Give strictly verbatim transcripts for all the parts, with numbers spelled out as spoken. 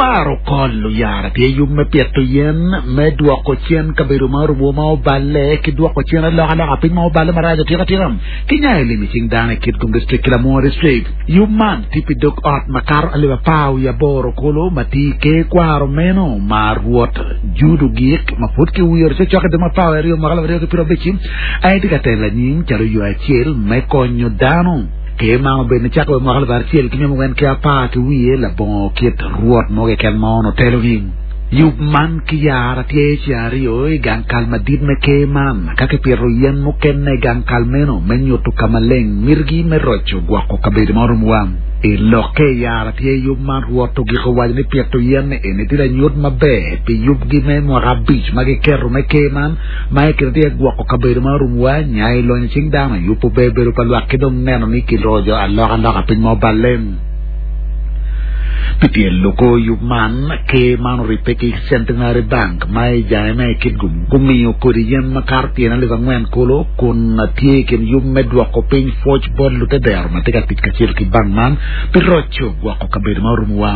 Kwaro kol oyara tye yub me pito yen me dwoko cen kabedo ma orumo ma oballe ki dwoko cen alokaloka piny ma oballe marac atika tika ki nyayo lim i cing dano i Kitgum District ki Lamwo District. Yub man tye pi dog ot makato alip apar wiye aboro kulu ma tye i ker kwaro meno ma rwot Jude Ogik ma pud kiwiro cokcok i dwe me apar wiye aryo mwaka alip aryo ki pyera abic aye tye ka telo anyim calo yo acel me konyo dano. Ker man obedo nicakke wa i mwaka alip acel ki miya angwen ki apar ki wiye labongo kit rwot mo keken ma onongo telogi. Yub man ki yara tye ceng aryo i gang kal madit me ker man ka kipito yen mukene i gang kal meno me nyuto ka maleng mitigi me roco gwoko kabedo ma oromowa. I lokke i yara tye yub man rwot ogiko waco ni pito yen eni tye lanyut maber pi yubgi me mwaka abic ma giketo me ker man ma i kine tye gwoko kabedo ma oromowa, nyayo lonyo cing dano, yubo ber bedo pa lwak ki dong neno ni kiroco alokaloka piny ma oballe. Pi tyelo kor yub man, ker man oribbe ki Centenary Bank ma i jange me Kitgum gumiyo kodi yen makato tyen alip angwen kulu kun tye i kin yub me dwoko piny pwoc bot lutedero ma tye ka tic kacel ki bank man pi roco gwoko kabedo ma orumowa.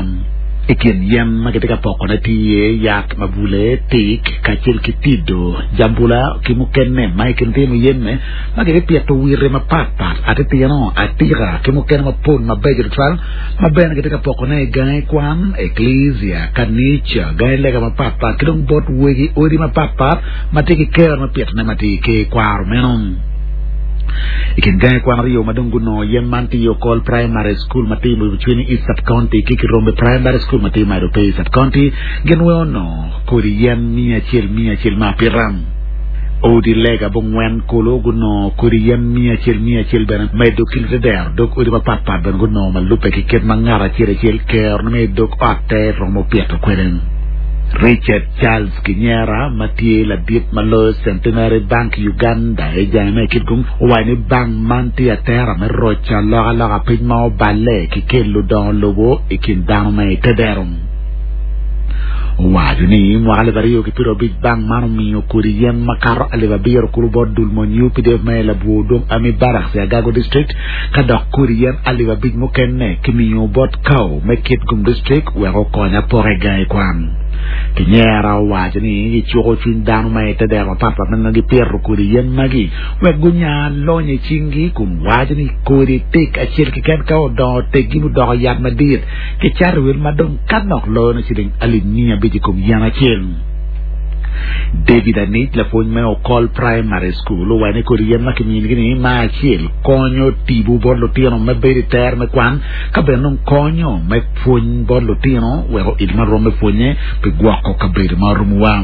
I kin yen ma kitye ka pokone tye iye yat mabule, tik, kacel ki tido, jambula ki mukene ma i kin tye muyeme ma kibipito wite mapatpat, atitino, atika ki mukene mapol mabeco tutwal ma bene kitye ka pokone i gangi kwan, eklezia, kanica, gangi lega mapatpat ki dong bot wegi odi mapatpat ma tye ki kero me pitone ma tye i ker kwaro meno. I kin gangi kwan aryo ma dong gunongo yen man tye i Okol Primary School ma tye i Mucwini East Sub-County ki Kirombe Primary School ma tye i Maido Pei Sub-County gin weng onongo kodi yen miya acel miya acel me apita. Odi lega bongwen kulu gunongo kodi yen miya acel miya acel bene medo ki lutedero dog odi mapatpat bene gunongo ma lubbe ki kit ma ngat acel acel kerone me i dog otte romo pito kwede. Richard Charles Kinyera ma tye ladit ma loyo Centenary Bank Uganda i jange me Kitgum owaco ni bank man tye atera me roco alokaloka piny ma oballe ki kelo dongo lobo i kin dano ma i tedero. Owaco ni mwaka alip aryo ki pyera abic bank man omiyo kodi yen makato alip abiro kulu bot dul mony U P D F ma i Labwor Dong Army Barracks i Agago District ka dok kodi yen alip abic mukene kimiyo bot Kau me Kitgum District wek okony apoka i gangi kwan. Kinyera owaco ni gicuko cwiny dano ma i tedero mapatpat ma gipito kodi yen magi wek gunya lonyo i cinggi kun waco ni kodi tik acel keken ka odongo teggi mudoko yat madit kicato wel ma dong ka nok loyo ni ciling alip miya abic i kom yen acel. David Anic lapwony me Okol Primary School owaco ni kodi yen ma kiminigi-ni ma acel konyo tipo bot lutino me bedo i ter me kwan ka bene dong konyo me pwony bot lutino weko il ma rom me pwonye pi gwoko kabedo ma oromowa.